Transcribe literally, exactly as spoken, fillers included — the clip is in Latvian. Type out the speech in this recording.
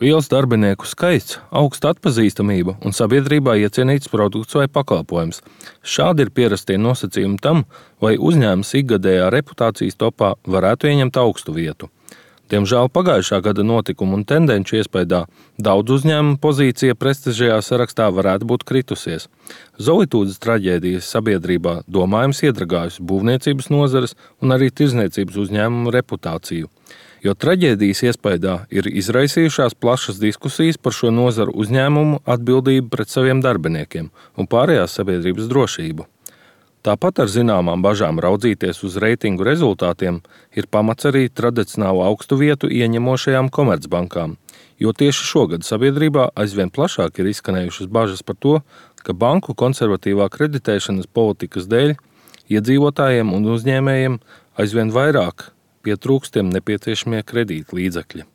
Liels darbinieku skaits, augsta atpazīstamība un sabiedrībā iecienīts produkts vai pakalpojums. Šādi ir pierastie nosacījumi tam, vai uzņēmums ikgadējā reputācijas topā varētu ieņemt augstu vietu. Diemžēl pagājušā gada notikumu un tendenču iespējā daudz uzņēmumu pozīcija prestižajā sarakstā varētu būt kritusies. Zolitūdes traģēdijas sabiedrībā domājams iedragājusi būvniecības nozares un arī tirdzniecības uzņēmumu reputāciju. Jo traģēdijas iespējā ir izraisījušās plašas diskusijas par šo nozaru uzņēmumu atbildību pret saviem darbiniekiem un pārējās sabiedrības drošību. Tāpat ar zināmām bažām raudzīties uz reitingu rezultātiem ir pamats arī tradicionālu augstu vietu ieņemošajām komercbankām, jo tieši šogad sabiedrībā aizvien plašāk ir izskanējušas bažas par to, ka banku konservatīvā kreditēšanas politikas dēļ iedzīvotājiem un uzņēmējiem aizvien vairāk pietrūkst tiem nepieciešamie kredītlīdzekļi.